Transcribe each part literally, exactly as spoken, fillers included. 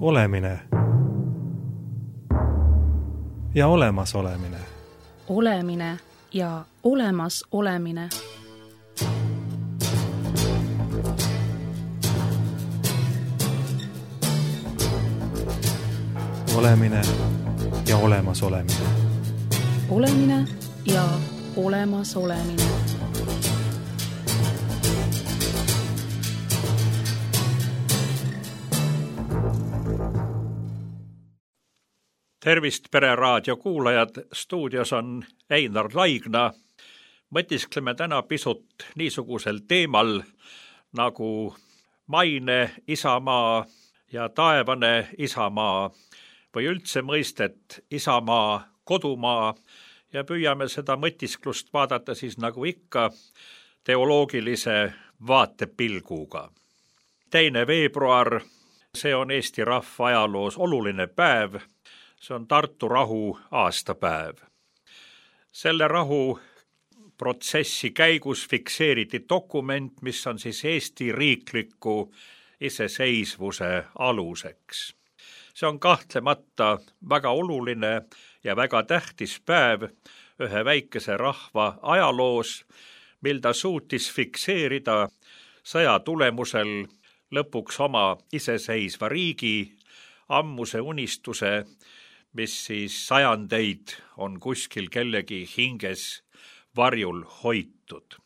Olemine ja olemas olemine. Olemine ja olemas olemine. Olemine ja olemas olemine. Olemine ja olemas olemine. Tervist, Pereraadio kuulajad, stuudios on Einar Laigna. Mõtiskleme täna pisut niisugusel teemal nagu maine isamaa ja taevane isamaa või üldse mõistet isamaa, kodumaa ja püüame seda mõtisklust vaadata siis nagu ikka teoloogilise vaatepilguga. Teine veebruar, see on Eesti rahva ajaloos oluline päev. See on Tartu rahu aastapäev. Selle rahu protsessi käigus fikseeriti dokument, mis on siis Eesti riikliku iseseisvuse aluseks. See on kahtlemata väga oluline ja väga tähtis päev ühe väikese rahva ajaloos, mil ta suutis fikseerida sõja tulemusel lõpuks oma iseseisva riigi, ammuse unistuse, mis siis sajandeid on kuskil kellegi hinges varjul hoitud.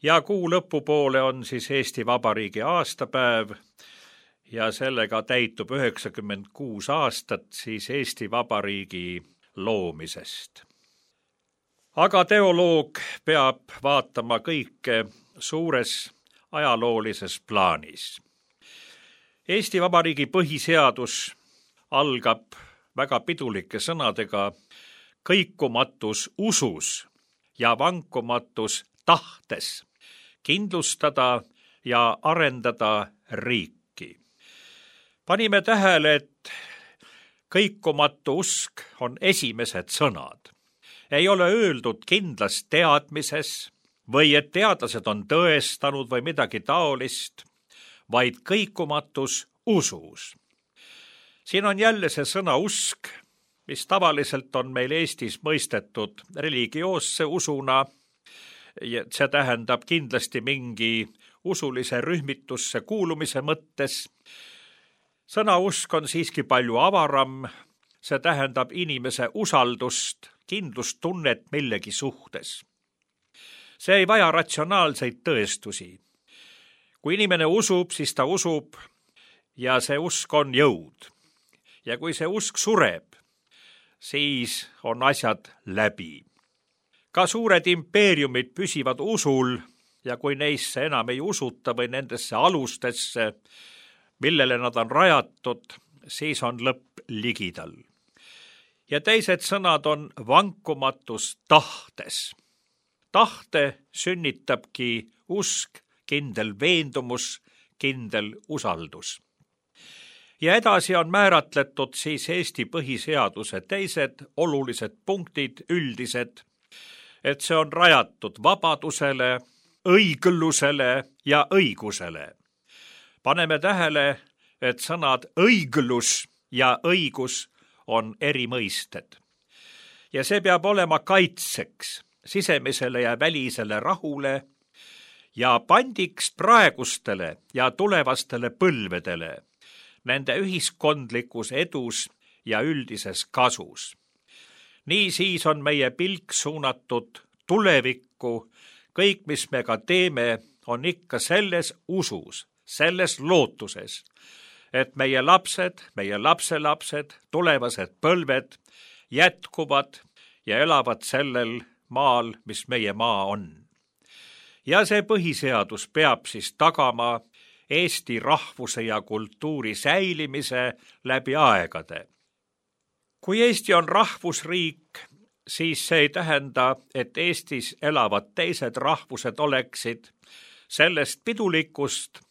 Ja kuu lõpupoole on siis Eesti Vabariigi aastapäev ja sellega täitub üheksakümmend kuus aastat siis Eesti Vabariigi loomisest. Aga teoloog peab vaatama kõike suures ajaloolises plaanis. Eesti Vabariigi põhiseadus algab väga pidulike sõnadega kõikumatus usus ja vankumatus tahtes kindlustada ja arendada riiki. Panime tähele, et kõikumatu usk on esimesed sõnad. Ei ole öeldud kindlas teadmises või et teadlased on tõestanud või midagi taolist, vaid kõikumatus usus. Siin on jälle see sõna usk, mis tavaliselt on meil Eestis mõistetud religioosse usuna. See tähendab kindlasti mingi usulise rühmitusse kuulumise mõttes. Sõna usk on siiski palju avaram. See tähendab inimese usaldust, kindlustunnet millegi suhtes. See ei vaja ratsionaalseid tõestusi. Kui inimene usub, siis ta usub ja see usk on jõud. Ja kui see usk sureb, siis on asjad läbi. Ka suured impeeriumid püsivad usul ja kui neisse enam ei usuta või nendesse alustesse, millele nad on rajatud, siis on lõpp ligidal. Ja teised sõnad on vankumatus tahtes. Tahte sünnitabki usk, kindel veendumus, kindel usaldus. Ja edasi on määratletud siis Eesti põhiseaduse teised olulised punktid, üldised, et see on rajatud vabadusele, õiglusele ja õigusele. Paneme tähele, et sõnad õiglus ja õigus on eri mõisted. Ja see peab olema kaitseks sisemisele ja välisele rahule ja pandiks praegustele ja tulevastele põlvedele, nende ühiskondlikus edus ja üldises kasus. Nii siis on meie pilk suunatud tulevikku, kõik, mis me ka teeme, on ikka selles usus, selles lootuses, et meie lapsed, meie lapselapsed, tulevased põlved jätkuvad ja elavad sellel maal, mis meie maa on. Ja see põhiseadus peab siis tagama Eesti rahvuse ja kultuuri säilimise läbi aegade. Kui Eesti on rahvusriik, siis see ei tähenda, et Eestis elavad teised rahvused oleksid sellest pidulikust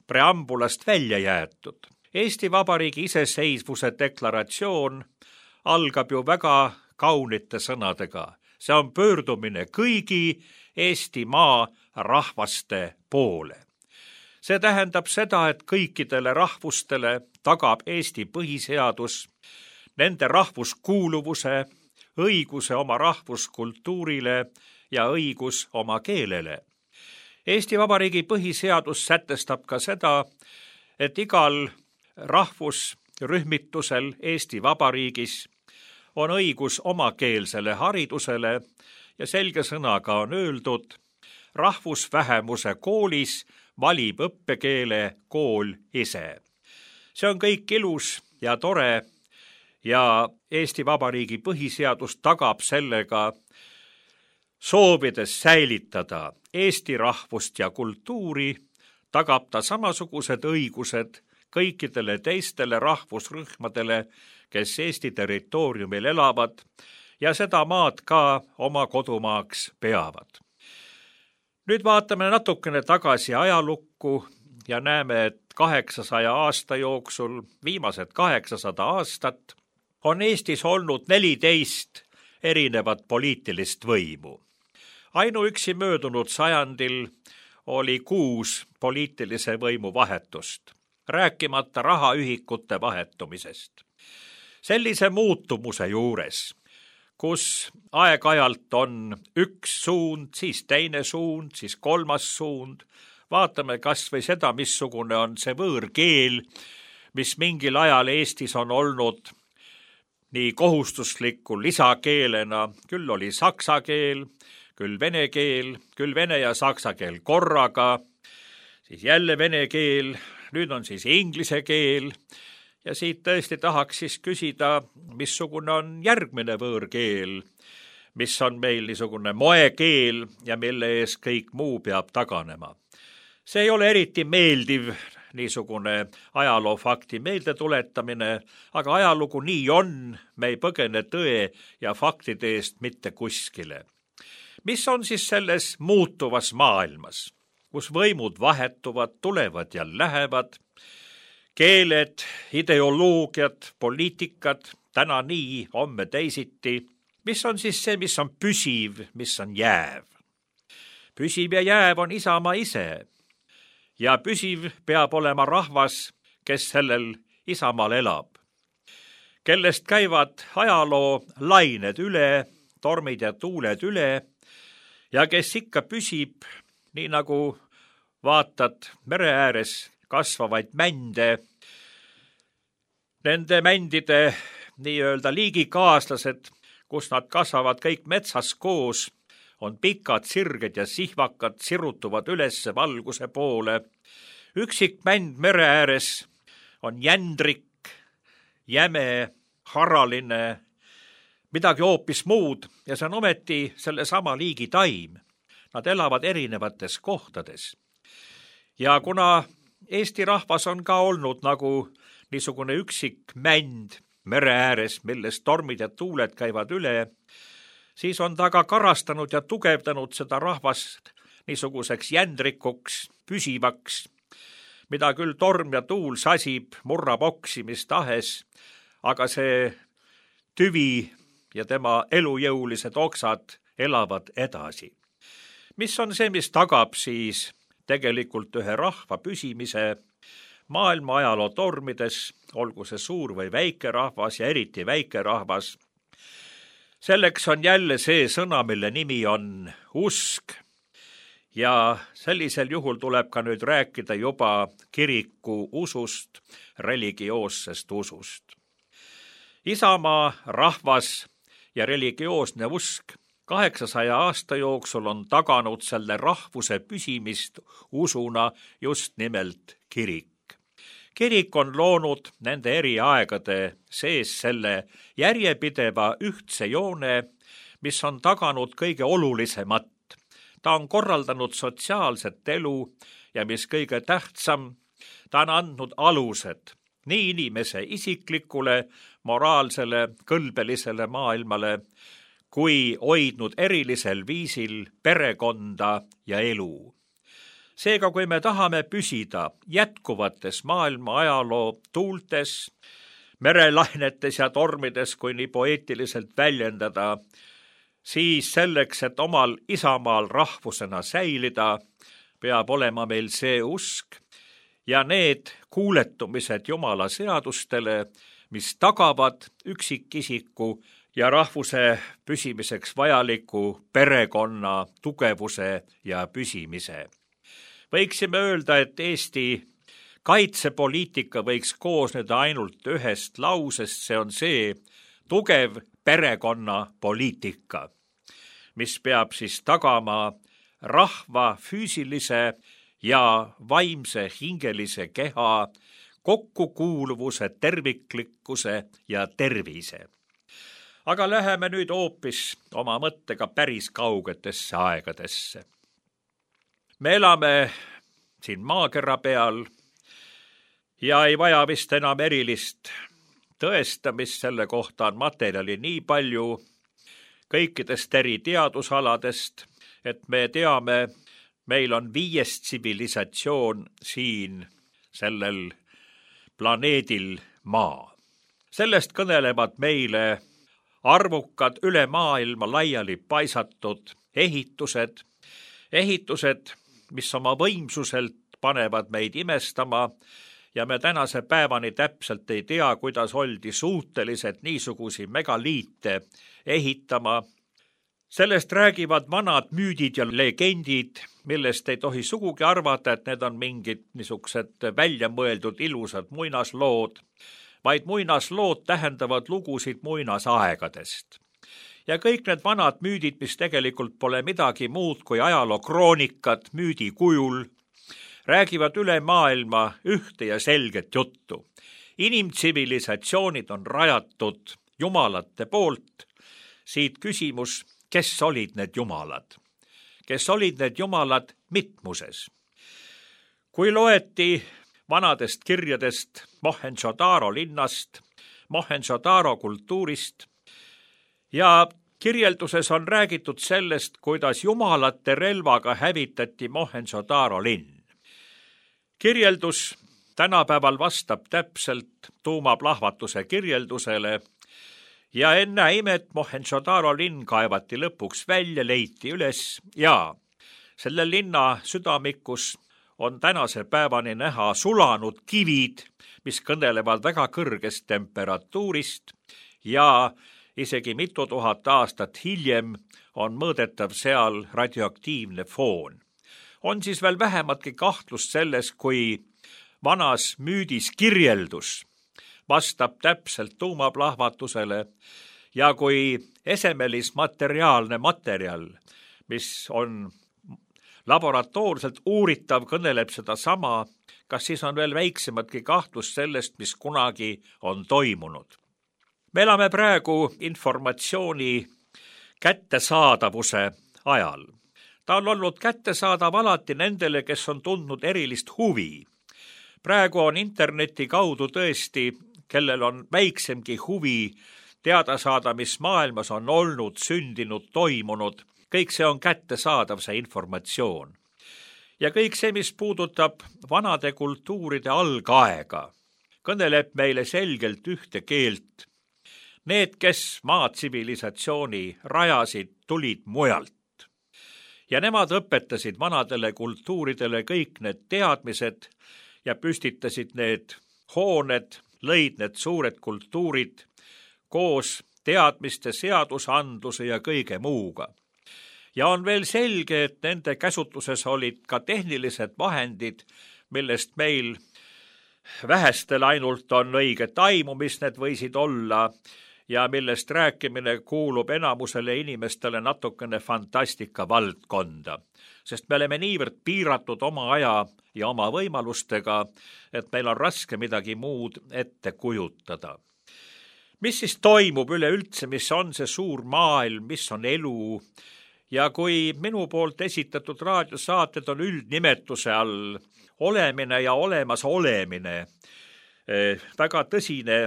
preambulast välja jäetud. Eesti Vabariigi iseseisvuse deklaratsioon algab ju väga kaunite sõnadega. See on pöördumine kõigi Eestimaa rahvaste poole. See tähendab seda, et kõikidele rahvustele tagab Eesti põhiseadus nende rahvuskuuluvuse, õiguse oma rahvuskultuurile ja õigus oma keelele. Eesti Vabariigi põhiseadus sätestab ka seda, et igal rahvusrühmitusel Eesti Vabariigis on õigus omakeelsele haridusele ja selge sõnaga on öeldud, rahvusvähemuse koolis valib õppekeele kool ise. See on kõik ilus ja tore ja Eesti Vabariigi põhiseadus tagab sellega, soovides säilitada Eesti rahvust ja kultuuri, tagab ta samasugused õigused kõikidele teistele rahvusrühmadele, kes Eesti territooriumil elavad ja seda maad ka oma kodumaaks peavad. Nüüd vaatame natukene tagasi ajalukku ja näeme, et kaheksasaja aasta jooksul, viimased kaheksasada aastat, on Eestis olnud neliteist erinevat poliitilist võimu. Ainuüksi möödunud sajandil oli kuus poliitilise võimu vahetust, rääkimata rahaühikute vahetumisest. Sellise muutumuse juures, kus aeg-ajalt on üks suund, siis teine suund, siis kolmas suund, vaatame kas või seda, missugune on see võõrkeel, mis mingil ajal Eestis on olnud nii kohustusliku lisakeelena, küll oli saksa keel, küll vene keel, küll vene ja saksa keel korraga, siis jälle vene keel, nüüd on siis inglise keel ja siit tõesti tahaks siis küsida, missugune on järgmine võõrkeel, mis on meil niisugune moekeel ja mille ees kõik muu peab taganema. See ei ole eriti meeldiv niisugune ajaloofakti meelde tuletamine, aga ajalugu nii on, me ei põgene tõe ja faktide eest mitte kuskile. Mis on siis selles muutuvas maailmas, kus võimud vahetuvad, tulevad ja lähevad, keeled, ideoloogiad, poliitikad, täna nii, homme teisiti, mis on siis see, mis on püsiv, mis on jääv? Püsiv ja jääv on Isamaa ise ja püsiv peab olema rahvas, kes sellel Isamaal elab, kellest käivad ajaloo lained üle, tormid ja tuuled üle ja kes ikka püsib, nii nagu vaatad mere ääres kasvavaid mände, nende mändide nii-öelda liigikaaslased, kus nad kasvavad kõik metsas koos, on pikad sirged ja sihvakad, sirutuvad ülesse valguse poole. Üksik mänd mere ääres on jändrik, jäme, haraline, midagi hoopis muud ja see on ometi selle sama liigi taim. Nad elavad erinevates kohtades. Ja kuna Eesti rahvas on ka olnud nagu niisugune üksik mänd mere ääres, milles tormid ja tuuled käivad üle, siis on ta ka karastanud ja tugevdanud seda rahvast niisuguseks jändrikuks, püsivaks, mida küll torm ja tuul sasib, murrab oksi mis tahes, aga see tüvi ja tema elujõulised oksad elavad edasi. Mis on see, mis tagab siis tegelikult ühe rahva püsimise maailma ajaloo tormides, olgu see suur või väike rahvas ja eriti väike rahvas? Selleks on jälle see sõna, mille nimi on usk ja sellisel juhul tuleb ka nüüd rääkida juba kiriku usust, religioossest usust. Isamaa, rahvas ja religioosne usk kaheksasaja aasta jooksul on taganud selle rahvuse püsimist usuna just nimelt kirik. Kirik on loonud nende eri aegade sees selle järjepideva ühtse joone, mis on taganud kõige olulisemat. Ta on korraldanud sotsiaalset elu ja mis kõige tähtsam, ta on andnud alused nii inimese isiklikule, moraalsele, kõlbelisele maailmale, kui hoidnud erilisel viisil perekonda ja elu. Seega, kui me tahame püsida jätkuvates maailma ajaloo tuultes, merelainetes ja tormides, kui nii poeetiliselt väljendada, siis selleks, et omal isamaal rahvusena säilida, peab olema meil see usk ja need kuuletumised Jumala seadustele, mis tagavad üksikisiku ja rahvuse püsimiseks vajaliku perekonna tugevuse ja püsimise. Võiksime öelda, et Eesti kaitsepoliitika võiks koosneda ainult ühest lausest, see on see tugev perekonnapoliitika, mis peab siis tagama rahva füüsilise ja vaimse hingelise keha kokkukuuluvuse, terviklikkuse ja tervise. Aga läheme nüüd hoopis oma mõttega päris kaugetesse aegadesse. Me elame siin maakera peal ja ei vaja vist enam erilist tõestamist, selle kohta on materjali nii palju kõikidest eri teadusaladest, et me teame, meil on viies tsivilisatsioon siin sellel planeedil Maa. Sellest kõnelevad meile arvukad üle maailma laiali paisatud ehitused, ehitused, mis oma võimsuselt panevad meid imestama ja me tänase päevani täpselt ei tea, kuidas oldi suutelised niisugusi megaliite ehitama. Sellest räägivad vanad müüdid ja legendid, millest ei tohi sugugi arvata, et need on mingid niisugused välja mõeldud ilusad muinaslood, vaid muinaslood tähendavad lugusid muinasaegadest. Ja kõik need vanad müüdid, mis tegelikult pole midagi muud kui ajalookroonikad müüdi kujul, räägivad üle maailma ühte ja selget juttu. Inimtsivilisatsioonid on rajatud jumalate poolt. Siit küsimus, kes olid need jumalad? Kes olid need jumalad mitmuses? Kui loeti vanadest kirjadest Mohenjo-Daro linnast, Mohenjo-Daro kultuurist ja kirjelduses on räägitud sellest, kuidas jumalate relvaga hävitati Mohenjo-Daro linn. Kirjeldus tänapäeval vastab täpselt tuumaplahvatuse kirjeldusele ja enne imet Mohenjo-Daro linn kaevati lõpuks välja, leiti üles ja selle linna südamikus on tänase päevani näha sulanud kivid, mis kõnelevad väga kõrgest temperatuurist ja isegi mitu tuhat aastat hiljem on mõõdetav seal radioaktiivne foon. On siis veel vähematki kahtlust selles, kui vanas müüdis kirjeldus vastab täpselt tuumaplahvatusele ja kui esemelismateriaalne materjal, mis on laboratoorselt uuritav, kõneleb seda sama, kas siis on veel väiksematki kahtlust sellest, mis kunagi on toimunud. Me elame praegu informatsiooni kättesaadavuse ajal. Ta on olnud kättesaadav alati nendele, kes on tundnud erilist huvi. Praegu on interneti kaudu tõesti, kellel on väiksemgi huvi teada saada, mis maailmas on olnud, sündinud, toimunud. Kõik see on kättesaadav, see informatsioon. Ja kõik see, mis puudutab vanade kultuuride algaega, kõneleb meile selgelt ühte keelt. Need, kes maatsivilisatsiooni rajasid, tulid mujalt. Ja nemad õpetasid vanadele kultuuridele kõik need teadmised ja püstitasid need hooned, lõid need suured kultuurid koos teadmiste, seadusandluse ja kõige muuga. Ja on veel selge, et nende käsutuses olid ka tehnilised vahendid, millest meil vähestel ainult on õiget aimu, mis need võisid olla, ja millest rääkimine kuulub enamusele inimestele natukene fantastika valdkonda, sest me oleme niivõrd piiratud oma aja ja oma võimalustega, et meil on raske midagi muud ette kujutada. Mis siis toimub üleüldse, mis on see suur maailm, mis on elu? Ja kui minu poolt esitatud raadiosaated on üldnimetuse all olemine ja olemas olemine, väga tõsine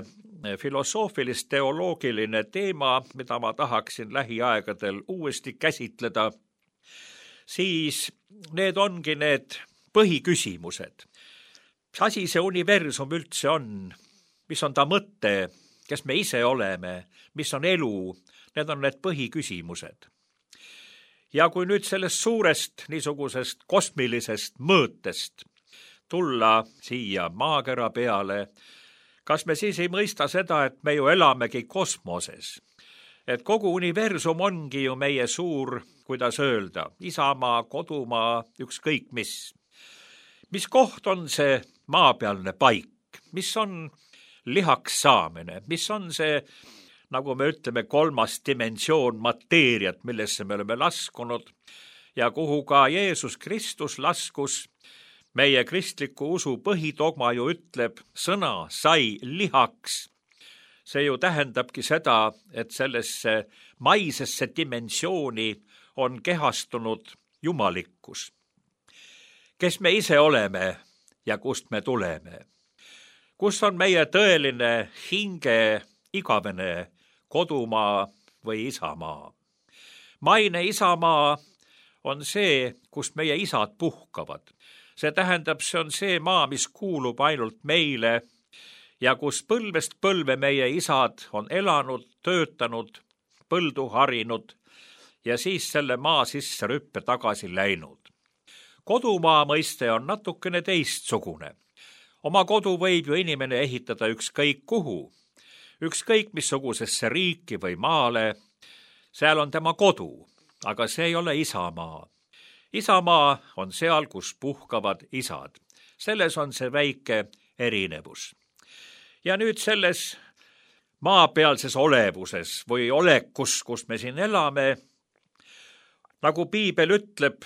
filosoofilist-teoloogiline teema, mida ma tahaksin lähiaegadel uuesti käsitleda, siis need ongi need põhiküsimused. Mis asi see universum üldse on? Mis on ta mõte? Kes me ise oleme? Mis on elu? Need on need põhiküsimused. Ja kui nüüd sellest suurest niisugusest kosmilisest mõõtest tulla siia maakera peale, kas me siis ei mõista seda, et me ju elamegi kosmoses? Et kogu universum ongi ju meie suur, kuidas öelda, isamaa, kodumaa, ükskõik mis. Mis koht on see maapealne paik? Mis on lihaks saamine? Mis on see, nagu me ütleme, kolmas dimensioon mateeriat, millesse me oleme laskunud ja kuhu ka Jeesus Kristus laskus? Meie kristliku usu põhidogma ju ütleb, sõna sai lihaks. See ju tähendabki seda, et sellesse maisesse dimensiooni on kehastunud jumalikkus. Kes me ise oleme ja kust me tuleme? Kus on meie tõeline hinge igavene kodumaa või isamaa? Maine isamaa on see, kust meie isad puhkavad. See tähendab, see on see maa, mis kuulub ainult meile ja kus põlvest põlve meie isad on elanud, töötanud, põldu harinud ja siis selle maa sisse rüppe tagasi läinud. Kodumaa mõiste on natukene teistsugune. Oma kodu võib ju inimene ehitada ükskõik kuhu, ükskõik missugusesse riiki või maale. Seal on tema kodu, aga see ei ole isamaa. Isamaa on seal, kus puhkavad isad. Selles on see väike erinevus. Ja nüüd selles maapealses olevuses või olekus, kus me siin elame, nagu piibel ütleb,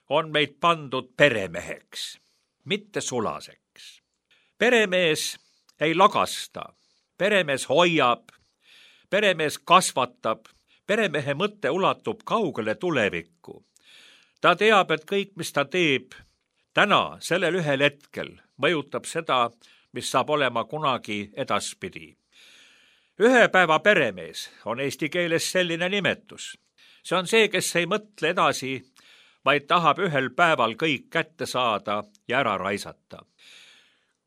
on meid pandud peremeheks, mitte sulaseks. Peremees ei lagasta, peremees hoiab, peremees kasvatab, peremehe mõte ulatub kaugele tulevikku. Ta teab, et kõik, mis ta teeb täna, sellel ühel hetkel, mõjutab seda, mis saab olema kunagi edaspidi. Ühe päeva peremees on eesti keeles selline nimetus. See on see, kes ei mõtle edasi, vaid tahab ühel päeval kõik kätte saada ja ära raisata.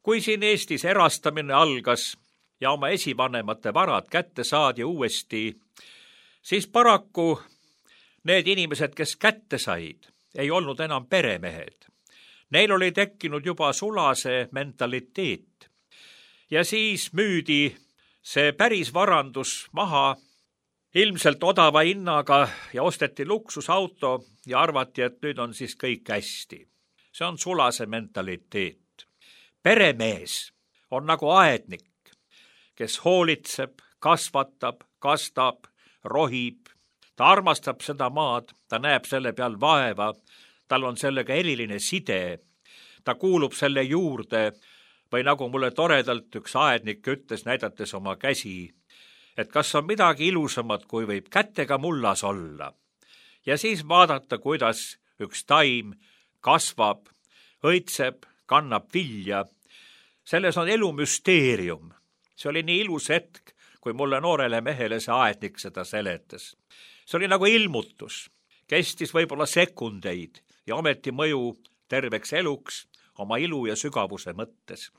Kui siin Eestis erastamine algas ja oma esivanemate varad kätte saadi uuesti, siis paraku need inimesed, kes kätte said, ei olnud enam peremehed. Neil oli tekkinud juba sulase mentaliteet. Ja siis müüdi see päris varandus maha ilmselt odava hinnaga ja osteti luksusauto ja arvati, et nüüd on siis kõik hästi. See on sulase mentaliteet. Peremees on nagu aednik, kes hoolitseb, kasvatab, kastab, rohib. Ta armastab seda maad, ta näeb selle peal vaeva, tal on sellega eriline side, ta kuulub selle juurde või nagu mulle toredalt üks aednik ütles, näidates oma käsi, et kas on midagi ilusamat, kui võib kätega mullas olla. Ja siis vaadata, kuidas üks taim kasvab, õitseb, kannab vilja. Selles on elu müsteerium. See oli nii ilus hetk, kui mulle noorele mehele see aednik seda seletas. See oli nagu ilmutus, kestis võib-olla sekundeid ja ometi mõju terveks eluks oma ilu ja sügavuse mõttes.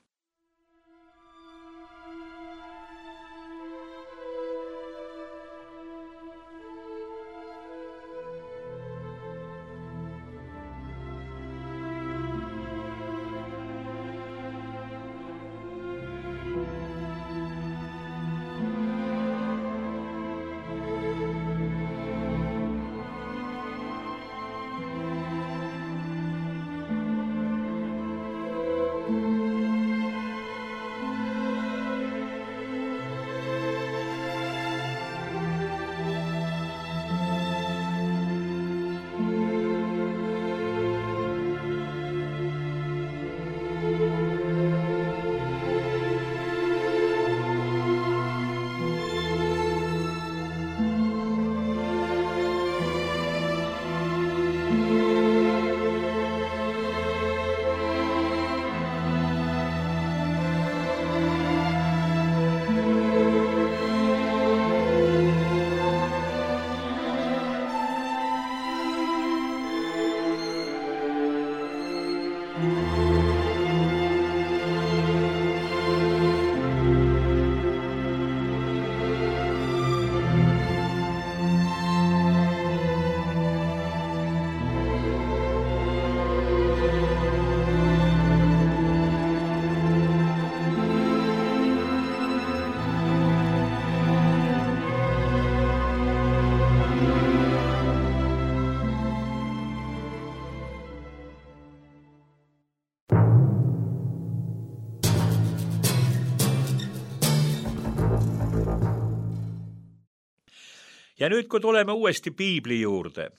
ja nüüd, kui tuleme uuesti piibli juurde,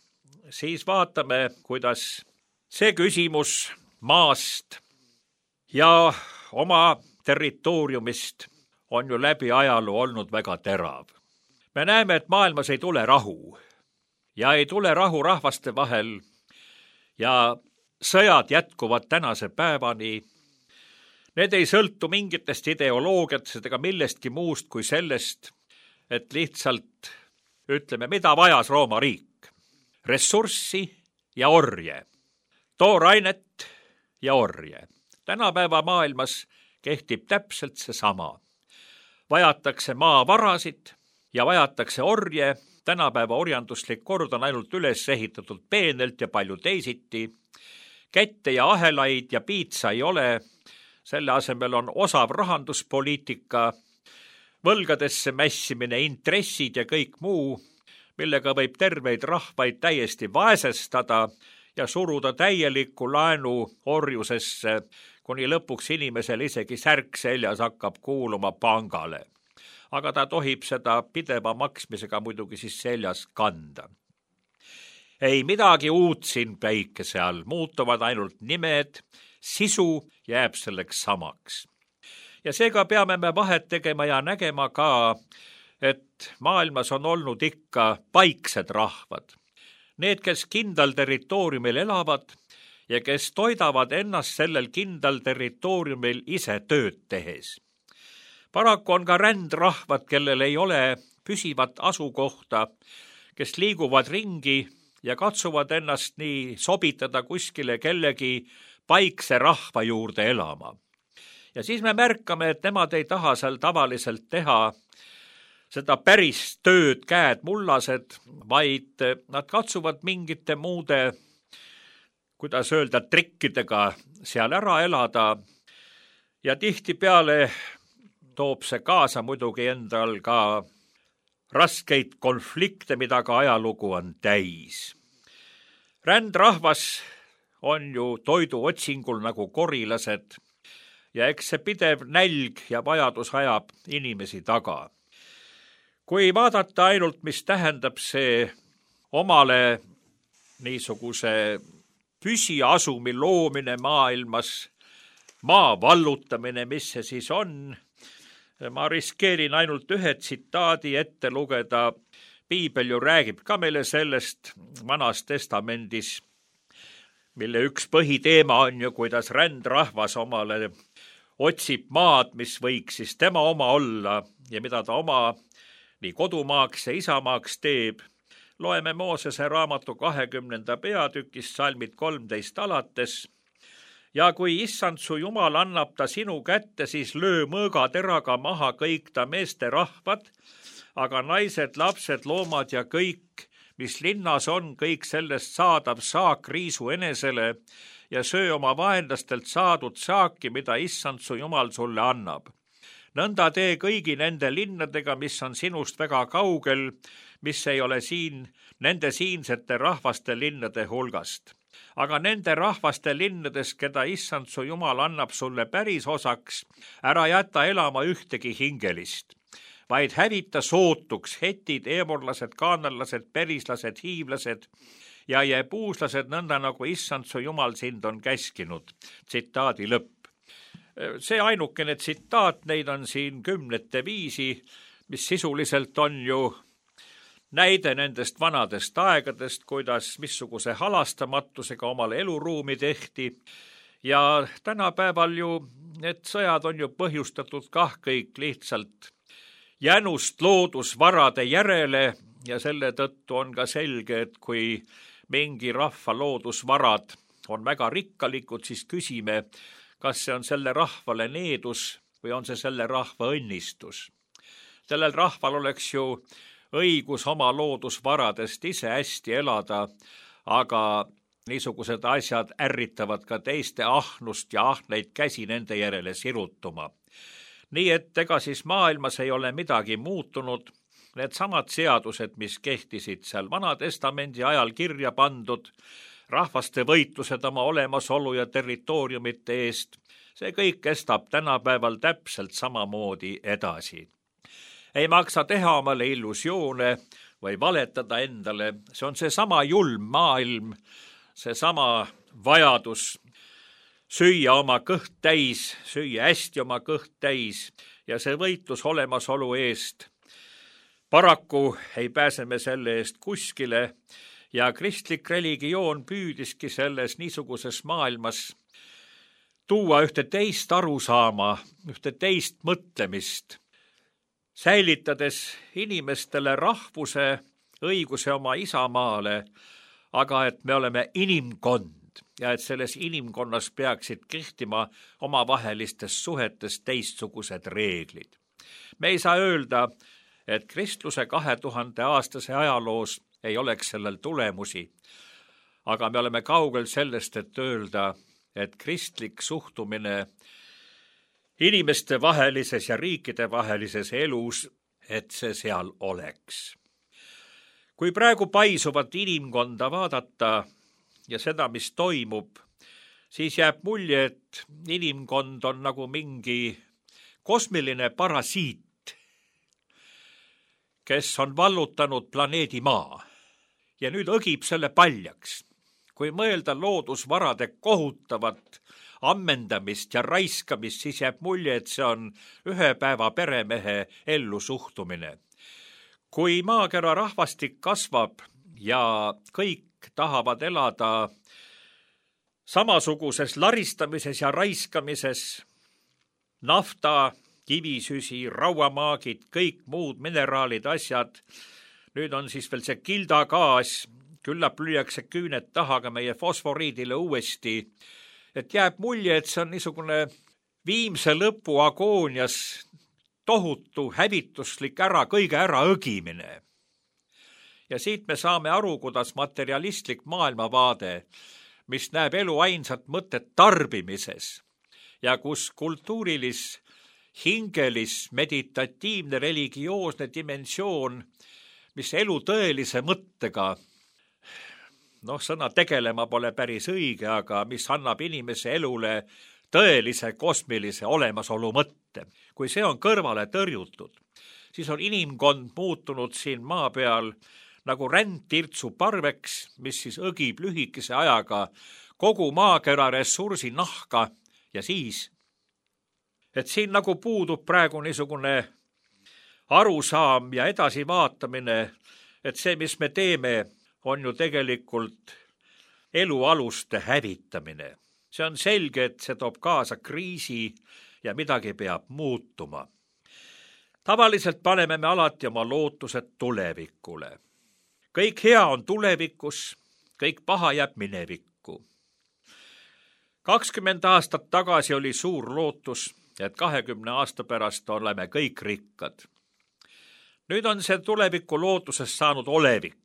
siis vaatame, kuidas see küsimus maast ja oma territooriumist on ju läbi ajaloo olnud väga terav. Me näeme, et maailmas ei tule rahu ja ei tule rahu rahvaste vahel ja sõjad jätkuvad tänase päevani. Need ei sõltu mingitest ideoloogiatest ega millestki muust kui sellest, et lihtsalt ütleme, mida vajas Rooma riik. Ressurssi ja orje, toorainet ja orje. Tänapäeva maailmas kehtib täpselt seesama. Vajatakse maavarasid ja vajatakse orje. Tänapäeva orjanduslik kord on ainult üles ehitatud peenelt ja palju teisiti. Kätte ja ahelaid ja piitsa ei ole. Selle asemel on osav rahanduspoliitika, võlgadesse mässimine, intressid ja kõik muu, millega võib terveid rahvaid täiesti vaesestada ja suruda täielikku laenu orjusesse, kuni lõpuks inimesel isegi särk seljas hakkab kuuluma pangale. Aga ta tohib seda pideva maksmisega muidugi siis seljas kanda. Ei midagi uut siin päikese all, muutuvad ainult nimed, sisu jääb selleks samaks. Ja seega peame me vahet tegema ja nägema ka, et maailmas on olnud ikka paiksed rahvad. Need, kes kindlal territooriumil elavad ja kes toidavad ennast sellel kindlal territooriumil ise tööd tehes. Paraku on ka rändrahvad, kellel ei ole püsivat asukohta, kes liiguvad ringi ja katsuvad ennast nii sobitada kuskile kellegi paikse rahva juurde elama. Ja siis me märkame, et nemad ei taha seal tavaliselt teha seda päris tööd, käed mullased, vaid nad katsuvad mingite muude, kuidas öelda, trikkidega seal ära elada ja tihtipeale toob see kaasa muidugi endal ka raskeid konflikte, mida ka ajalugu on täis. Rändrahvas on ju toidu otsingul nagu korilased ja eks see pidev nälg ja vajadus ajab inimesi taga. Kui vaadata ainult, mis tähendab see omale niisuguse püsiasumi loomine maailmas, maa vallutamine, mis see siis on, ma riskeerin ainult ühe tsitaadi ette lugeda. Piibel ju räägib ka meile sellest Vanas Testamendis, mille üks põhiteema on ju, kuidas rändrahvas omale otsib maad, mis võiks siis tema oma olla ja mida ta oma nii kodumaaks ja isamaaks teeb. Loeme Moosese raamatu kahekümnenda peatükist salmid kolmteist alates. Ja kui issand su Jumal annab ta sinu kätte, siis löö mõõgateraga maha kõik ta meeste rahvad, aga naised, lapsed, loomad ja kõik, mis linnas on, kõik sellest saadav saak riisu enesele ja söö oma vaenlastelt saadud saaki, mida issand su Jumal sulle annab. Nõnda tee kõigi nende linnadega, mis on sinust väga kaugel, mis ei ole siin nende siinsete rahvaste linnade hulgast. Aga nende rahvaste linnades, keda issand su Jumal annab sulle päris osaks, ära jäta elama ühtegi hingelist, vaid hävita sootuks hetid, eemorlased, kaanallased, perislased, hiivlased ja jebuuslased, nõnda nagu issand su Jumal sind on käskinud. Tsitaadi lõpp. See ainukene tsitaat, neid on siin kümnete viisi, mis sisuliselt on ju näide nendest vanadest aegadest, kuidas missuguse halastamatusega omale eluruumi tehti. Ja tänapäeval ju need sõjad on ju põhjustatud kah kõik lihtsalt jänust loodusvarade järele ja selle tõttu on ka selge, et kui mingi rahva loodusvarad on väga rikkalikud, siis küsime, kas see on selle rahvale needus või on see selle rahva õnnistus. Sellel rahval oleks ju õigus oma loodusvaradest ise hästi elada, aga niisugused asjad ärritavad ka teiste ahnust ja ahneid käsi nende järele sirutuma. Nii et ega siis maailmas ei ole midagi muutunud. Need samad seadused, mis kehtisid seal Vana Testamendi ajal kirja pandud, rahvaste võitlused oma olemasolu ja territooriumite eest, see kõik kestab tänapäeval täpselt samamoodi edasi. Ei maksa teha omale illusioone või valetada endale. See on seesama julm maailm, seesama vajadus süüa oma kõht täis, süüa hästi oma kõht täis ja see võitlus olemasolu eest. Paraku ei pääse me selle eest kuskile ja kristlik religioon püüdiski selles niisuguses maailmas tuua ühte teist arusaama, ühte teist mõtlemist, säilitades inimestele rahvuse, õiguse oma isamaale, aga et me oleme inimkond ja et selles inimkonnas peaksid kehtima omavahelistes suhetes teistsugused reeglid. Me ei saa öelda, et kristluse kahe tuhande aastase ajaloos ei oleks sellel tulemusi, aga me oleme kaugel sellest, et öelda, et kristlik suhtumine inimeste vahelises ja riikide vahelises elus, et see seal oleks. Kui praegu paisuvat inimkonda vaadata ja seda, mis toimub, siis jääb mulje, et inimkond on nagu mingi kosmiline parasiit, kes on vallutanud planeedi Maa ja nüüd õgib selle paljaks. Kui mõelda loodusvarade kohutavat ammendamist ja raiskamist, siis jääb mulje, et see on ühe päeva peremehe ellu suhtumine. Kui maakera rahvastik kasvab ja kõik tahavad elada samasuguses laristamises ja raiskamises, nafta, kivisüsi, rauamaagid, kõik muud mineraalid, asjad, nüüd on siis veel see kildagaas, küllap lüüakse küüned taha ka meie fosforiidile uuesti, et jääb mulje, et see on niisugune viimse lõpu agoonias tohutu hävituslik ära, kõige ära õgimine. Ja siit me saame aru, kuidas materialistlik maailmavaade, mis näeb elu ainsat mõtet tarbimises ja kus kultuurilis, hingelis, meditatiivne, religioosne dimensioon, mis elu tõelise mõttega, noh, sõna tegelema pole päris õige, aga mis annab inimese elule tõelise kosmilise olemasolu mõtte. Kui see on kõrvale tõrjutud, siis on inimkond muutunud siin maa peal nagu rändtirtsu parveks, mis siis õgib lühikese ajaga kogu maakera ressursi nahka ja siis, et siin nagu puudub praegu niisugune arusaam ja edasivaatamine, et see, mis me teeme, on ju tegelikult elualuste hävitamine. See on selge, et see toob kaasa kriisi ja midagi peab muutuma. Tavaliselt paneme me alati oma lootused tulevikule. Kõik hea on tulevikus, kõik paha jääb minevikku. kakskümmend aastat tagasi oli suur lootus, et kahekümne aasta pärast oleme kõik rikkad. Nüüd on see tuleviku lootusest saanud olevik.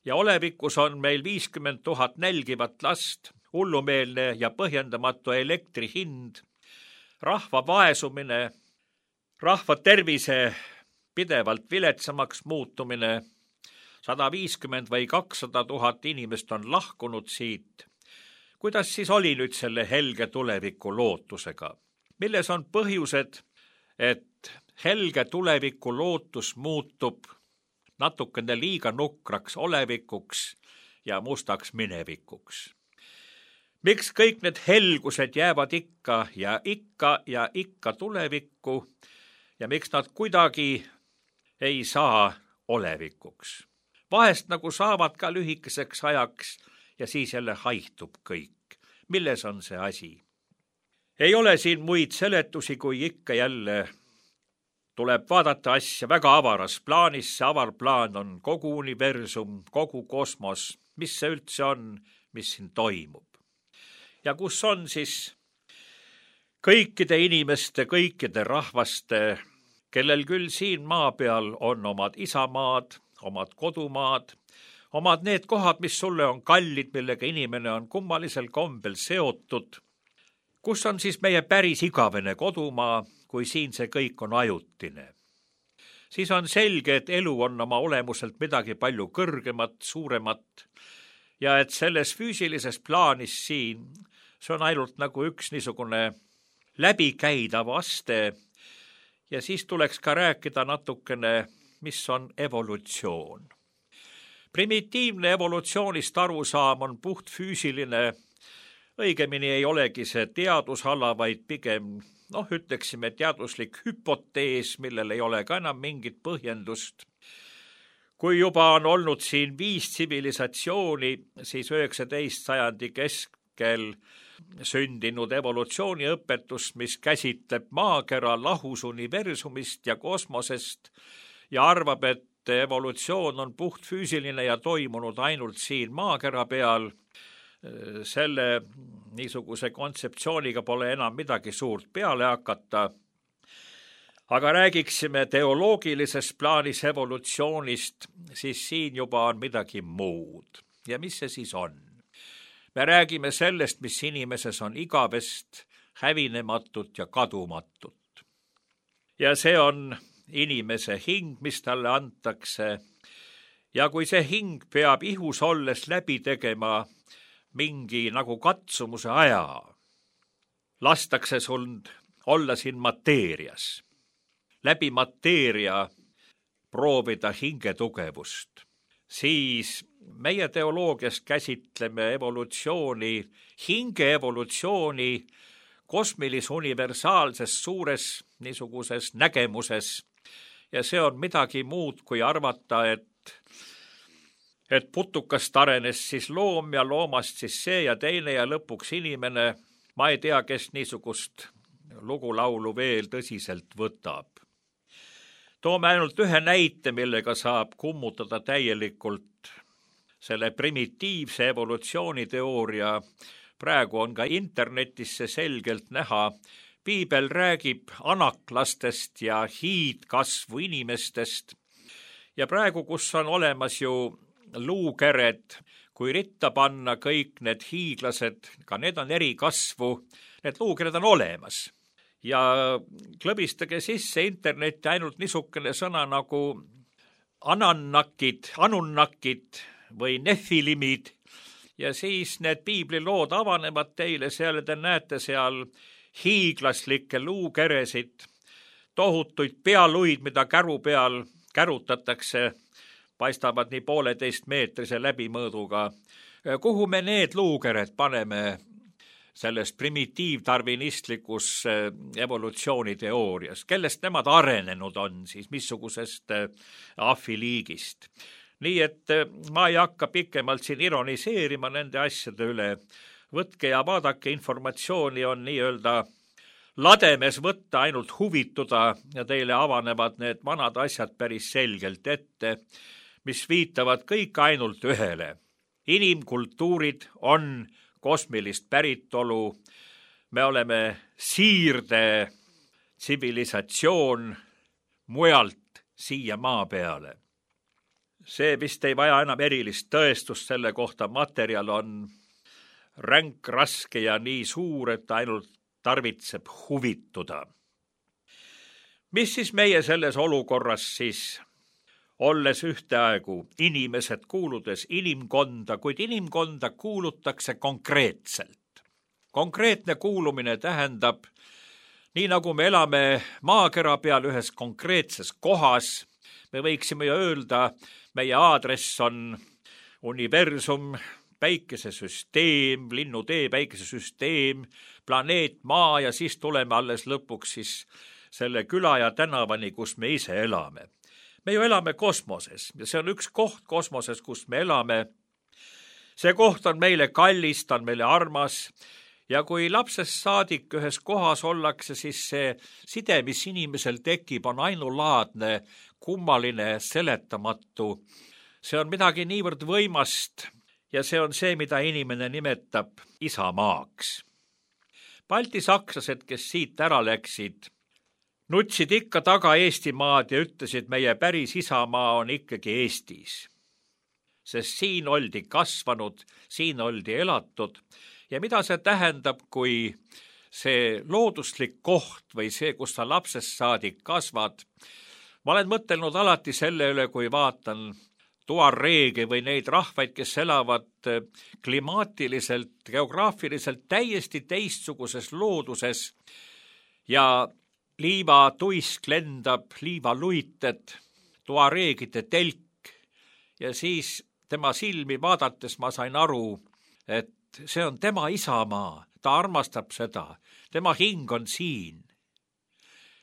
Ja olevikus on meil viiskümmend tuhat nälgivat last, hullumeelne ja põhjendamatu elektri hind, rahva vaesumine, rahva tervise pidevalt viletsamaks muutumine, sada viiskümmend või kakssada tuhat inimest on lahkunud siit. Kuidas siis oli nüüd selle helge tuleviku lootusega? Milles on põhjused, et helge tuleviku lootus muutub natukene liiga nukraks olevikuks ja mustaks minevikuks? Miks kõik need helgused jäävad ikka ja ikka ja ikka tulevikku ja miks nad kuidagi ei saa olevikuks? Vahest nagu saavad ka lühikeseks ajaks ja siis jälle haihtub kõik. Milles on see asi? Ei ole siin muid seletusi, kui ikka jälle tuleb vaadata asja väga avaras plaanis. See avar plaan on kogu universum, kogu kosmos, mis see üldse on, mis siin toimub. Ja kus on siis kõikide inimeste, kõikide rahvaste, kellel küll siin maa peal on omad isamaad, omad kodumaad, omad need kohad, mis sulle on kallid, millega inimene on kummalisel kombel seotud. Kus on siis meie päris igavene kodumaa, kui siin see kõik on ajutine? Siis on selge, et elu on oma olemuselt midagi palju kõrgemat, suuremat ja et selles füüsilises plaanis siin, see on ainult nagu üks niisugune läbikäidav aste ja siis tuleks ka rääkida natukene, mis on evolutsioon. Primitiivne evolutsioonist arusaam on puhtfüüsiline, õigemini ei olegi see teadusala, vaid pigem, noh, ütleksime teaduslik hüpotees, millel ei ole ka enam mingit põhjendust. Kui juba on olnud siin viis tsivilisatsiooni, siis üheksateist sajandi keskel sündinud evolutsiooniõpetus, mis käsitleb maakera lahus universumist ja kosmosest ja arvab, et evolutsioon on puhtfüüsiline ja toimunud ainult siin maakera peal, selle niisuguse kontseptsiooniga pole enam midagi suurt peale hakata. Aga räägiksime teoloogilises plaanis evolutsioonist, siis siin juba on midagi muud. Ja mis see siis on? Me räägime sellest, mis inimeses on igavest, hävinematut ja kadumatut. Ja see on inimese hing, mis talle antakse. Ja kui see hing peab ihus olles läbi tegema mingi nagu katsumuse aja, lastakse sul olla siin mateerias. Läbi mateeria proovida hinge tugevust. Siis meie teoloogias käsitleme evolutsiooni, hinge evolutsiooni kosmilis-universaalses suures niisuguses nägemuses. Ja see on midagi muud kui arvata, et, et putukast arenes siis loom ja loomast siis see ja teine ja lõpuks inimene. Ma ei tea, kes niisugust lugulaulu veel tõsiselt võtab. Toome ainult ühe näite, millega saab kummutada täielikult selle primitiivse evolutsiooniteooria. Praegu on ka internetis see selgelt näha. Piibel räägib anaklastest ja hiidkasvu inimestest. Ja praegu, kus on olemas ju luukered, kui ritta panna kõik need hiiglased, ka need on eri kasvu, need luukered on olemas. Ja klõbistage sisse internetti ainult niisugune sõna nagu anannakid, anunnakid või nefilimid. Ja siis need piiblilood avanevad teile, seal te näete seal hiiglaslikke luukeresid, tohutuid pealuid, mida käru peal kärutatakse, paistavad nii pooleteist meetrise läbimõõduga. Kuhu me need luukered paneme selles primitiivdarvinistlikus evolutsiooniteoorias? Kellest nemad arenenud on siis, missugusest ahviliigist? Nii et ma ei hakka pikemalt siin ironiseerima nende asjade üle. Võtke ja vaadake, informatsiooni on nii-öelda lademes võtta, ainult huvituda ja teile avanevad need vanad asjad päris selgelt ette, mis viitavad kõik ainult ühele. Inimkultuurid on kosmilist päritolu. Me oleme siirde tsivilisatsioon mujalt siia maa peale. See vist ei vaja enam erilist tõestust selle kohta, materjal on ränk, raske ja nii suur, et ainult tarvitseb huvituda. Mis siis meie selles olukorras siis, olles ühteaegu inimesed kuuludes inimkonda, kuid inimkonda kuulutakse konkreetselt. Konkreetne kuulumine tähendab, nii nagu me elame maakera peal ühes konkreetses kohas, me võiksime ju öelda, meie aadress on universum, päikesesüsteem, linnutee, päikesesüsteem, planeet Maa ja siis tuleme alles lõpuks siis selle küla ja tänavani, kus me ise elame. Me ju elame kosmoses ja see on üks koht kosmoses, kus me elame. See koht on meile kallis, ta on meile armas ja kui lapsest saadik ühes kohas ollakse, siis see side, mis inimesel tekib, on ainulaadne, kummaline, seletamatu. See on midagi niivõrd võimast. Ja see on see, mida inimene nimetab isamaaks. Balti sakslased, kes siit ära läksid, nutsid ikka taga Eestimaad ja ütlesid, meie päris isamaa on ikkagi Eestis. Sest siin oldi kasvanud, siin oldi elatud ja mida see tähendab, kui see looduslik koht või see, kus sa lapsest saadik kasvad. Ma olen mõtelnud alati selle üle, kui vaatan tuareege või neid rahvaid, kes elavad klimaatiliselt, geograafiliselt täiesti teistsuguses looduses ja liivatuisk lendab, liivaluited, tuareegide telk ja siis tema silmi vaadates ma sain aru, et see on tema isamaa, ta armastab seda, tema hing on siin.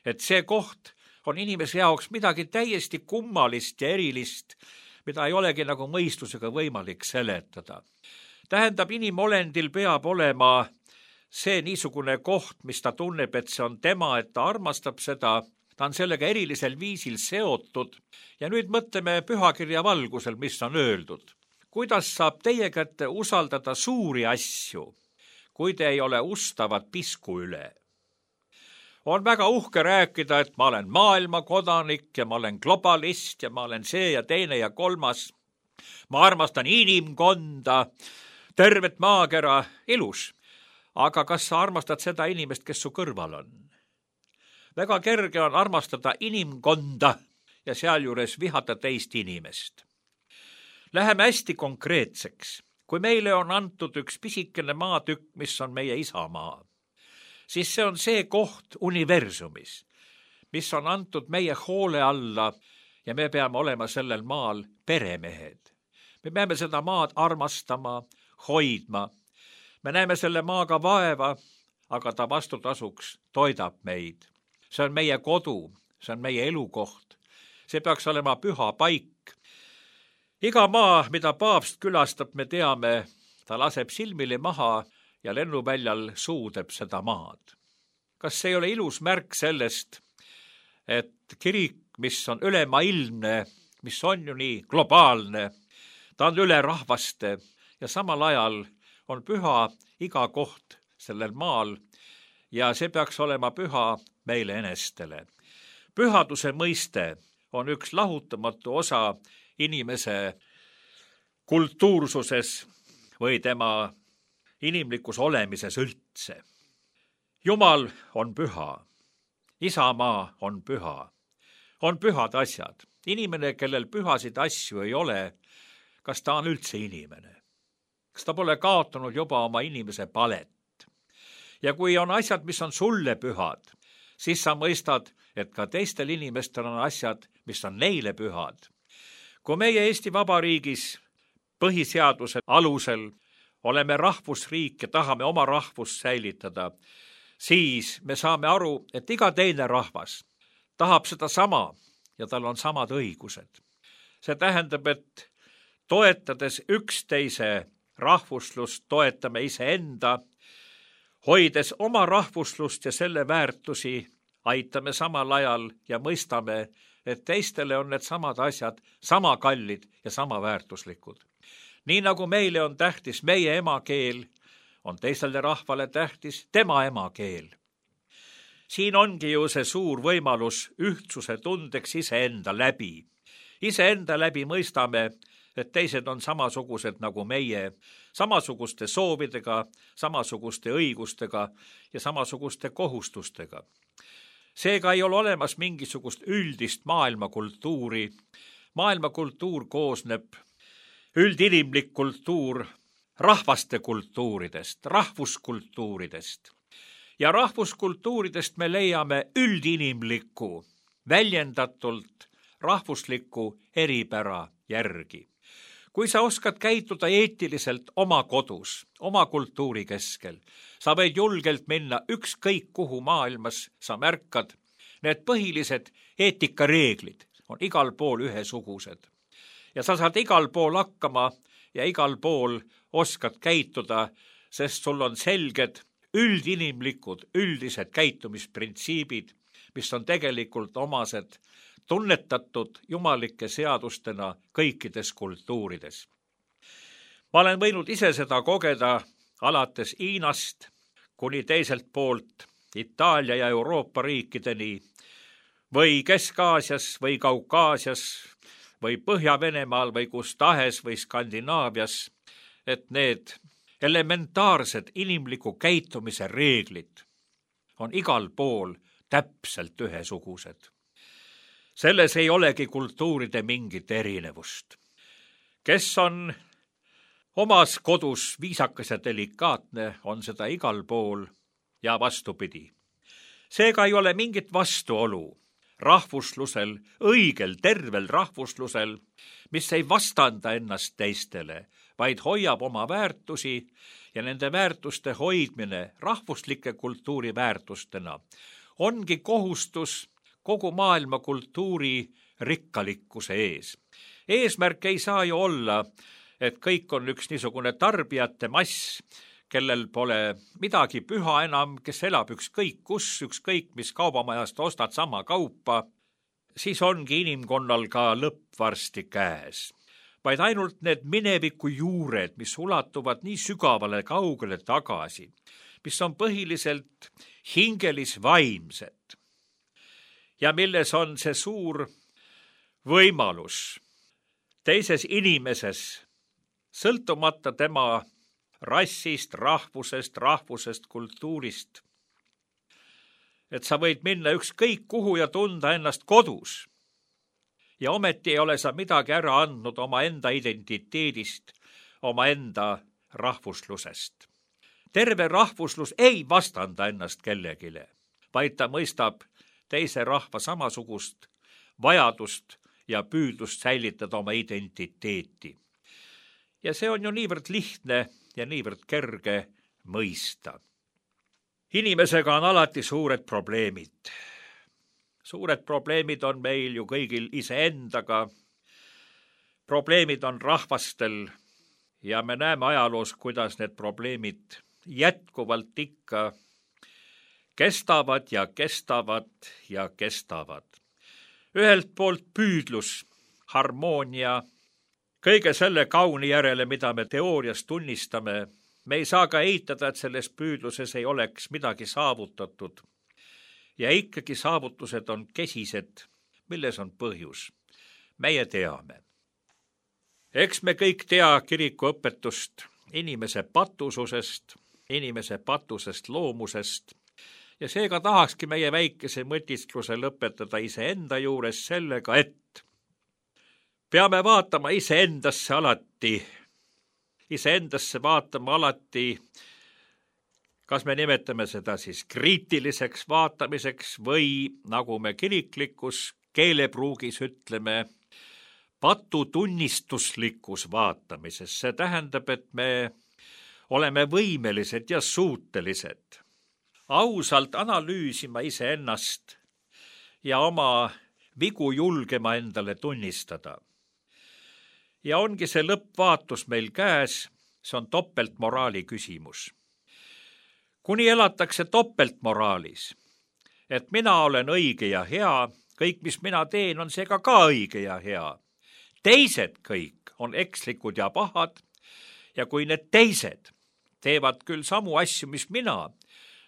Et see koht on inimese jaoks midagi täiesti kummalist ja erilist, mida ei olegi nagu mõistusega võimalik seletada. Tähendab, inimolendil peab olema see niisugune koht, mis ta tunneb, et see on tema, et ta armastab seda, ta on sellega erilisel viisil seotud. Ja nüüd mõtleme pühakirja valgusel, mis on öeldud. Kuidas saab teie kätte usaldada suuri asju, kui te ei ole ustavad pisku üle? On väga uhke rääkida, et ma olen maailma kodanik ja ma olen globalist ja ma olen see ja teine ja kolmas. Ma armastan inimkonda, tervet maakera, ilus. Aga kas sa armastad seda inimest, kes su kõrval on? Väga kerge on armastada inimkonda ja sealjuures vihata teist inimest. Läheme hästi konkreetseks. Kui meile on antud üks pisikene maatükk, mis on meie isamaa, siis see on see koht universumis, mis on antud meie hoole alla ja me peame olema sellel maal peremehed. Me peame seda maad armastama, hoidma. Me näeme selle maaga vaeva, aga ta vastutasuks toidab meid. See on meie kodu, see on meie elukoht. See peaks olema püha paik. Iga maa, mida paavst külastab, me teame, ta laseb silmili maha ja lennuväljal suudeb seda maad. Kas see ei ole ilus märk sellest, et kirik, mis on ülemaailmne, mis on ju nii globaalne, ta on üle rahvaste ja samal ajal on püha iga koht sellel maal ja see peaks olema püha meile enestele. Pühaduse mõiste on üks lahutamatu osa inimese kultuursuses või tema inimlikus olemises üldse. Jumal on püha, isamaa on püha, on pühad asjad. Inimene, kellel pühasid asju ei ole, kas ta on üldse inimene? Kas ta pole kaotanud juba oma inimese palet? Ja kui on asjad, mis on sulle pühad, siis sa mõistad, et ka teistel inimestel on asjad, mis on neile pühad. Kui meie Eesti Vabariigis põhiseaduse alusel oleme rahvusriik ja tahame oma rahvust säilitada, siis me saame aru, et iga teine rahvas tahab seda sama ja tal on samad õigused. See tähendab, et toetades üksteise rahvuslust, toetame iseenda, hoides oma rahvuslust ja selle väärtusi, aitame samal ajal ja mõistame, et teistele on need samad asjad sama kallid ja sama väärtuslikud. Nii nagu meile on tähtis meie emakeel, on teisele rahvale tähtis tema emakeel. Siin ongi ju see suur võimalus ühtsuse tundeks iseenda läbi. Iseenda läbi mõistame, et teised on samasugused nagu meie, samasuguste soovidega, samasuguste õigustega ja samasuguste kohustustega. Seega ei ole olemas mingisugust üldist maailmakultuuri. Maailmakultuur koosneb üldinimlik kultuur rahvaste kultuuridest, rahvuskultuuridest. Ja rahvuskultuuridest me leiame üldinimlikku, väljendatult rahvuslikku eripära järgi. Kui sa oskad käituda eetiliselt oma kodus, oma kultuuri keskel, sa võid julgelt minna ükskõik kuhu maailmas, sa märkad, need põhilised eetikareeglid on igal pool ühesugused. Ja sa saad igal pool hakkama ja igal pool oskad käituda, sest sul on selged üldinimlikud, üldised käitumisprintsiibid, mis on tegelikult omased tunnetatud jumalike seadustena kõikides kultuurides. Ma olen võinud ise seda kogeda alates Hiinast kuni teiselt poolt Itaalia ja Euroopa riikideni või Kesk-Aasias või Kaukaasias või Põhja-Venemaal või kus tahes või Skandinaavias, et need elementaarsed inimliku käitumise reeglid on igal pool täpselt ühesugused. Selles ei olegi kultuuride mingit erinevust. Kes on omas kodus viisakas ja delikaatne, on seda igal pool ja vastupidi. Seega ei ole mingit vastuolu rahvuslusel, õigel, tervel rahvuslusel, mis ei vastanda ennast teistele, vaid hoiab oma väärtusi ja nende väärtuste hoidmine rahvuslike kultuuriväärtustena ongi kohustus kogu maailma kultuuri rikkalikkuse ees. Eesmärk ei saa ju olla, et kõik on üks niisugune tarbijate mass, kellel pole midagi püha enam, kes elab ükskõik kus, ükskõik mis kaubamajast ostad sama kaupa, siis ongi inimkonnal ka lõpp varsti käes. Vaid ainult need mineviku juured, mis ulatuvad nii sügavale kaugele tagasi, mis on põhiliselt hingelis-vaimsed ja milles on see suur võimalus teises inimeses, sõltumata tema rassist, rahvusest, rahvusest, kultuurist, et sa võid minna ükskõik kuhu ja tunda ennast kodus. Ja ometi ei ole sa midagi ära andnud oma enda identiteedist, oma enda rahvuslusest. Terve rahvuslus ei vastanda ennast kellegile, vaid ta mõistab teise rahva samasugust vajadust ja püüdlust säilitada oma identiteeti. Ja see on ju niivõrd lihtne ja niivõrd kerge mõista. Inimesega on alati suured probleemid. Suured probleemid on meil ju kõigil iseendaga. Probleemid on rahvastel ja me näeme ajaloos, kuidas need probleemid jätkuvalt ikka kestavad ja kestavad ja kestavad. Ühelt poolt püüdlus, harmoonia, kõige selle kauni järele, mida me teoorias tunnistame, me ei saa ka eitada, et selles püüdluses ei oleks midagi saavutatud. Ja ikkagi saavutused on kesised, milles on põhjus. Meie teame. Eks me kõik tea kiriku õpetust inimese patususest, inimese patusest loomusest ja seega tahakski meie väikese mõtiskluse lõpetada iseenda juures sellega, et peame vaatama iseendasse alati, iseendasse vaatama alati, kas me nimetame seda siis kriitiliseks vaatamiseks või, nagu me kiriklikus keelepruugis ütleme, patutunnistuslikus vaatamises. See tähendab, et me oleme võimelised ja suutelised ausalt analüüsima iseennast ja oma vigu julgema endale tunnistada. Ja ongi see lõppvaatus meil käes, see on topeltmoraali küsimus. Kuni elatakse topeltmoraalis, et mina olen õige ja hea, kõik, mis mina teen, on seega ka õige ja hea. Teised kõik on ekslikud ja pahad ja kui need teised teevad küll samu asju, mis mina,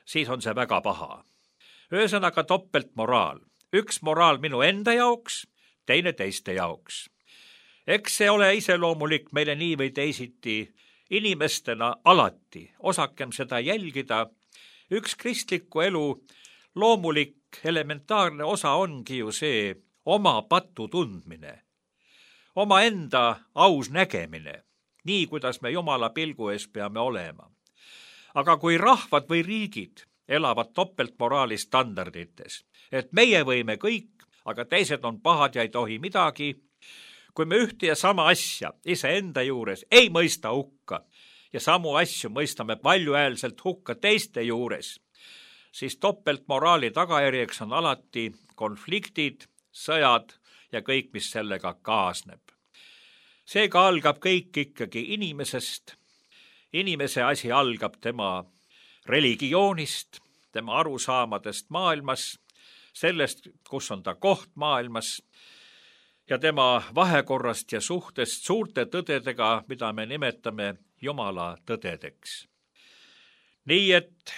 siis on see väga paha. Ühesõnaga topeltmoraal. Üks moraal minu enda jaoks, teine teiste jaoks. Eks see ole iseloomulik meile nii või teisiti inimestena alati. Osakem seda jälgida. Üks kristliku elu loomulik elementaarne osa ongi ju see oma patu tundmine. Oma enda aus nägemine, nii kuidas me Jumala pilgu ees peame olema. Aga kui rahvad või riigid elavad topeltmoraali standardites, et meie võime kõik, aga teised on pahad ja ei tohi midagi, kui me ühte ja sama asja iseenda juures ei mõista hukka ja samu asju mõistame valjuhäälselt hukka teiste juures, siis topeltmoraali tagajärjeks on alati konfliktid, sõjad ja kõik, mis sellega kaasneb. Seega algab kõik ikkagi inimesest. Inimese asi algab tema religioonist, tema arusaamadest maailmas, sellest, kus on ta koht maailmas ja tema vahekorrast ja suhtest suurte tõdedega, mida me nimetame Jumala tõdedeks. Nii et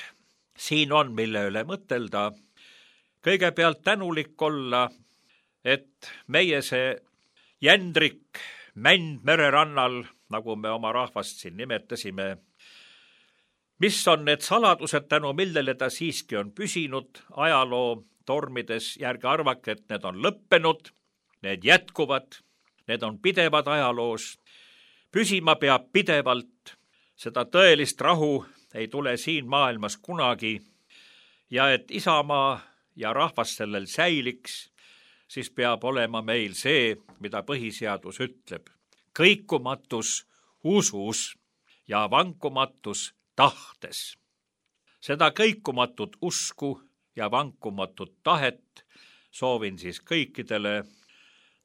siin on, mille üle mõtelda, kõigepealt tänulik olla, et meie see jändrik mänd mererannal, nagu me oma rahvast siin nimetasime, mis on need saladused, tänu millele ta siiski on püsinud ajaloo tormides, järgi arvake, et need on lõppenud, need jätkuvad, need on pidevad ajaloos, püsima peab pidevalt, seda tõelist rahu ei tule siin maailmas kunagi ja et isamaa ja rahvas sellel säiliks, siis peab olema meil see, mida põhiseadus ütleb. Kõikumatus usus ja vankumatus tahtes. Seda kõikumatut usku ja vankumatut tahet soovin siis kõikidele.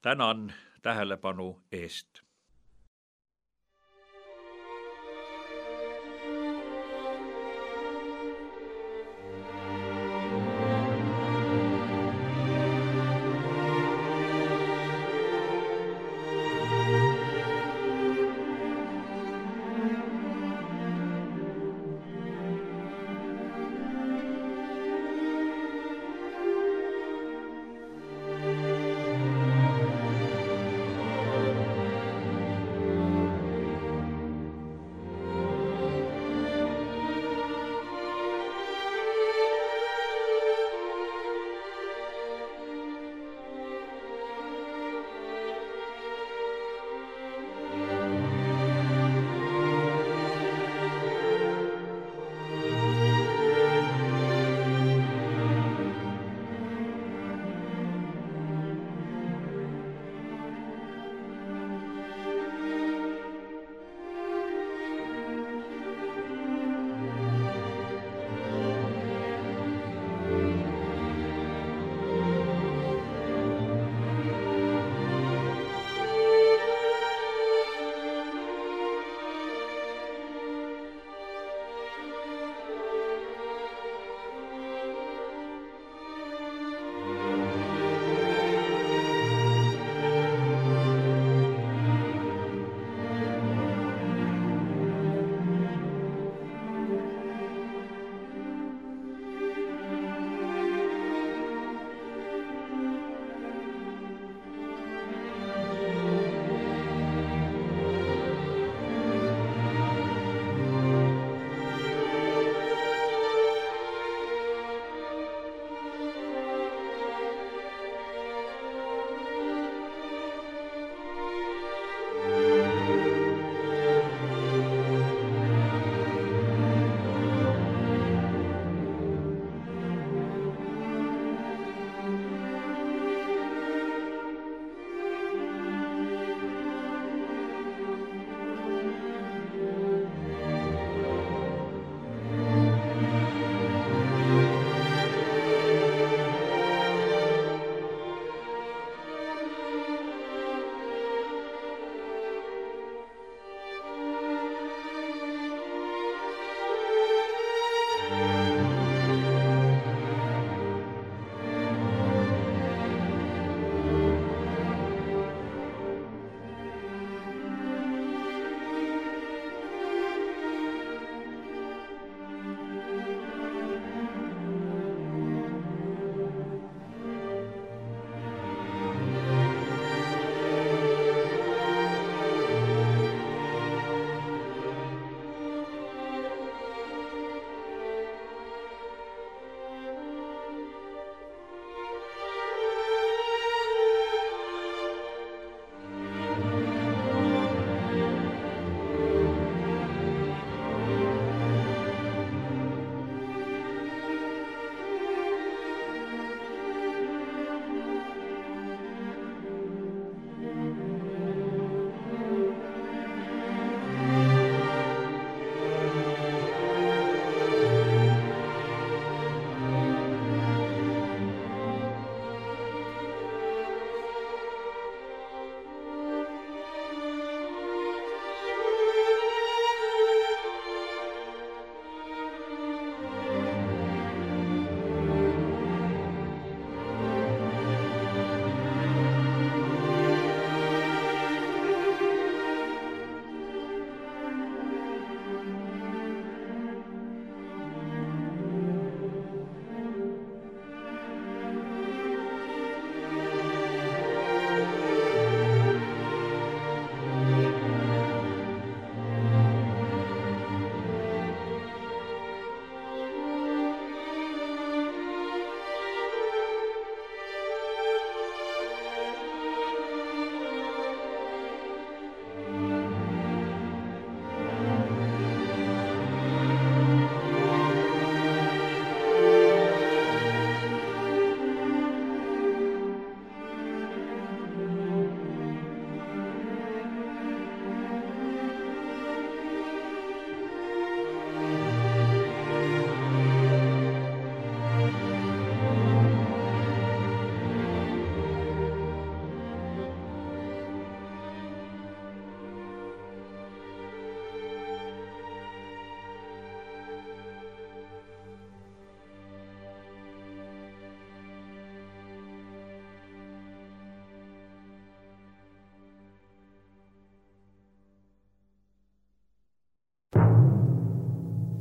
Tänan tähelepanu eest.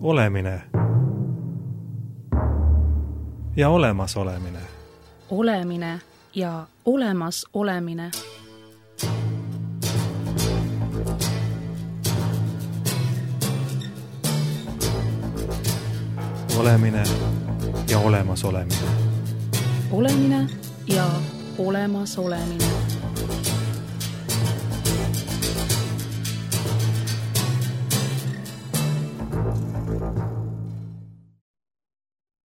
olemine ja olemasolemine. Olemine ja olemas olemine. Olemine ja olemas olemine. Olemine ja olemas olemine.